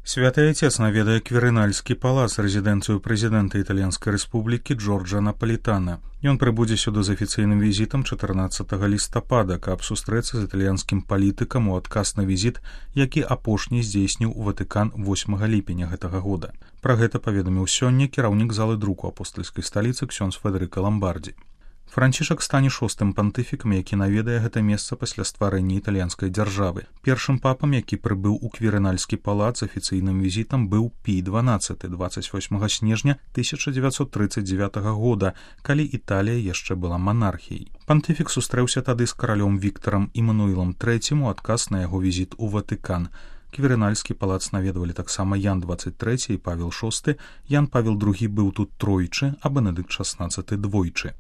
Святы Отец наведае Кверынальскі палац, рэзідэнцыю прэзідэнта Італьянскай рэспублікі Джорджа Напалітана. Ён прыбудзе сюды з афіцыйным візітам 14 лістапада, каб сустрэцца з італьянскім палітыкам у адказ на візіт, які апошні здзейсніў у Ватыкан 8 ліпеня гэтага года. Пра гэта паведаміў сёння кіраўнік залы друку апостальскай сталіцы ксёндз Федэрыка Ламбардзі. Францішак стане 6-м пантыфікам, які наведае гэта месца пасля стварэння італьянскай дзяржавы. Першым папам, які прыбыў у Кверынальскі палац з афіцыйным візітам, быў Пій XII 28 снежня 1939 года, калі Італія яшчэ была манархіяй. Пантыфік сустрэўся тады з каралём Віктарам Імануілам III у адказ на яго візіт у Ватыкан. Кверынальскі палац наведвалі таксама Ян XXIII і Павел VI. Ян Павел II быў тут тройчы, а Бенедыкт XVI двойчы.